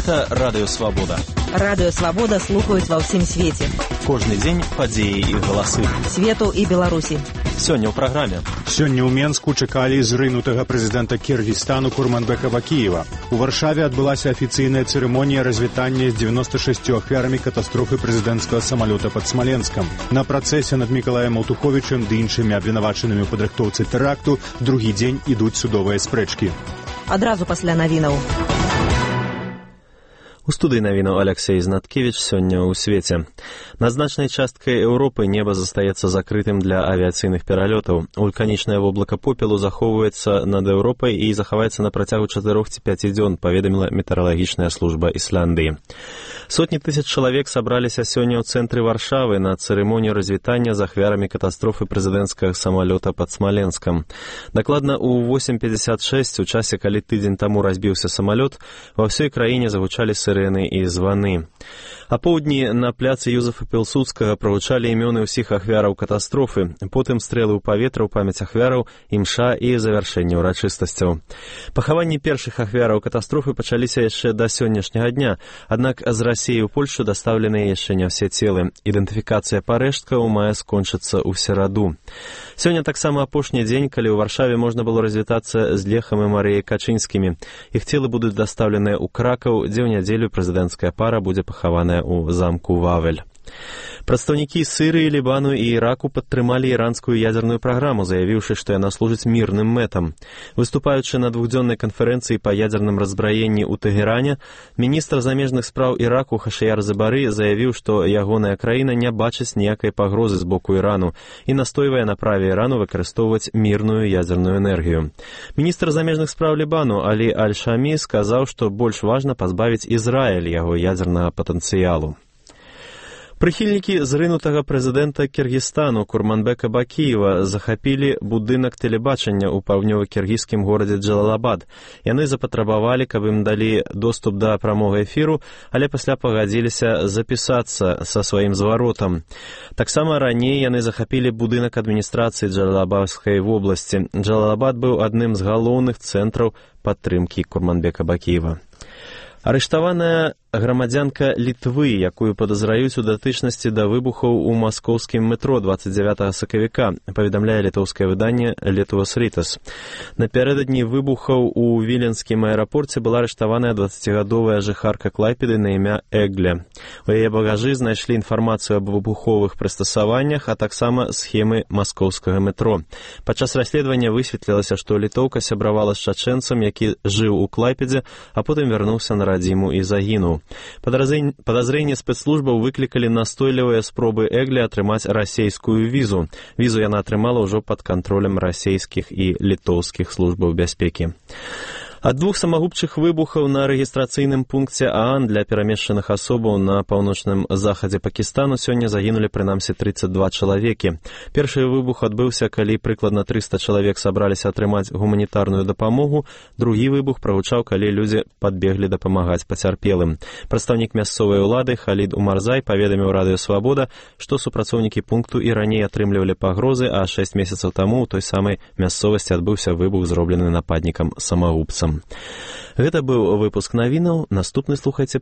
Гэта Радыё Свабода. Радыё Свабода слухаюць ва ўсім свеце. Кожны дзень падзеі і галасы. Свету і Беларусі. Сёння ў праграме. Сёння ў Менску чакалі зрынутага прэзідэнта Кіргізстану Курманбека Бакіева. У Варшаве адбылася афіцыйная цырымонія развітання з 96 ахвярамі катастрофы прэзідэнцкага самалёта пад Смаленскам. На працэсе над Мікалаем Аўтуховічам ды іншымі абвінавачанымі ў падрыхтоўцы тэракту другі дзень ідуць судовыя спрэчкі. Адразу пасля навінаў. У студыі навінаў Аляксей Знаткевіч сёння ў свеце. На значнай часткай Еўропы неба застаецца закрытым для авіяцыйных пералётаў. Вулканічнае воблака попелу захоўваецца над Еўропай і захаваецца на працягу 4 ці 5 дзён, паведаміла метэаралагічная служба Ісляндыі. Сотні тысяч чалавек сабраліся сёння ў цэнтры Варшавы на цырымонію развітання з ахвярамі катастрофы прэзідэнцкага самалёта пад Смаленскам. Дакладна ў 8:56, у часе, калі тыдзень таму разбіўся самалёт, ва ўсёй краіне загучалі сирены і званы. А поўдні на пляцы Юзефа Пілсудскага прагучалі імёны ўсіх ахвяраў катастрофы, потым стрэлы ў паветра ў памяць ахвяраў, імша і завяршэнне ўрачыстасцяў. Пахаванні першых ахвяраў катастрофы пачаліся яшчэ да сённяшняга дня, аднак з Расіі ў Польшу дастаўленыя яшчэ не ўсе целы. Ідэнтыфікацыя парэшткаў мае скончыцца ў сераду. Сёння таксама апошні дзень, калі ў Варшаве можна было развітацца з Лехам і Марыяй Качынскімі. Іх целы будуць дастаўленыя ў Кракаў, дзе ў нядзелю прэзідэнцкая пара будзе пахаваная ў замку Вавель. Прадстаўнікі Сырыі, Лібану і Іраку падтрымалі іранскую ядзерную праграму, заявіўшы, што яна служыць мірным мэтам. Выступаючы на двухдзённай канферэнцыі па ядзерным разбраенні ў Тэгеране, міністр замежных спраў Іраку Хашаяр Забары заявіў, што ягоная краіна не бачыць ніякай пагрозы з боку Ірану і настойвае на праве Ірану выкарыстоўваць мірную ядзерную энергію. Міністр замежных спраў Лібану Алі Аль-Шамі сказаў, што больш важна пазбавіць Ізраіль яго ядзернага патэнцыялу. Прыхільнікі зрынутага прэзідэнта Кіргізстану Курманбека Бакіева захапілі будынак тэлебачання ў паўднёва-кіргізскім горадзе Джалалабад. Яны запатрабавалі, каб ім далі доступ да прамога эфіру, але пасля пагадзіліся запісацца са сваім зваротам. Таксама раней яны захапілі будынак адміністрацыі Джалалабадскай вобласці. Джалалабад быў адным з галоўных цэнтраў падтрымкі Курманбека Бакіева. Арыштаваная грамадзянка Літвы, якую падазраюць у датычнасці да выбухаў у маскоўскім метро 29 сакавіка, паведамляе літоўскае выданне Lietuvos rytas. Напярэдадні выбухаў у віленскім аэрапорце была арыштаваная 20гадовая жыхарка Клайпеды на імя Эгле. У яе багажы знайшлі інфармацыю аб выбуховых прыстасаваннях, а таксама схемы маскоўскага метро. Падчас расследавання высветлілася, што літоўка сябравала з чачэнцам, які жыў у Клайпедзе, а потым вярнуўся на радзіму і загінуў. Падазрэнне спецслужбаў выклікалі настойлівыя спробы Эгле атрымаць расейскую візу. Візу яна атрымала ўжо пад кантролем расейскіх і літоўскіх службаў бяспекі. Ад 2 самагубчых выбухаў на рэгістрацыйным пункце ААН для перамешчаных асобаў на паўночным захадзе Пакістану сёння загінулі прынамсі 32 чалавекі. Першы выбух адбыўся, калі прыкладна 300 чалавек сабраліся атрымаць гуманітарную дапамогу. Другі выбух прагучаў, калі людзі падбеглі дапамагаць пацярпелым. Прадстаўнік мясцовай улады Халід Умарзай паведаміў Радыё Свабода, што супрацоўнікі пункту і раней атрымлівалі пагрозы, а 6 месяцаў таму ў той самай мясцовасці адбыўся выбух, зроблены нападнікам-самагубцам. Гэта быў выпуск навінаў. Наступны слухайце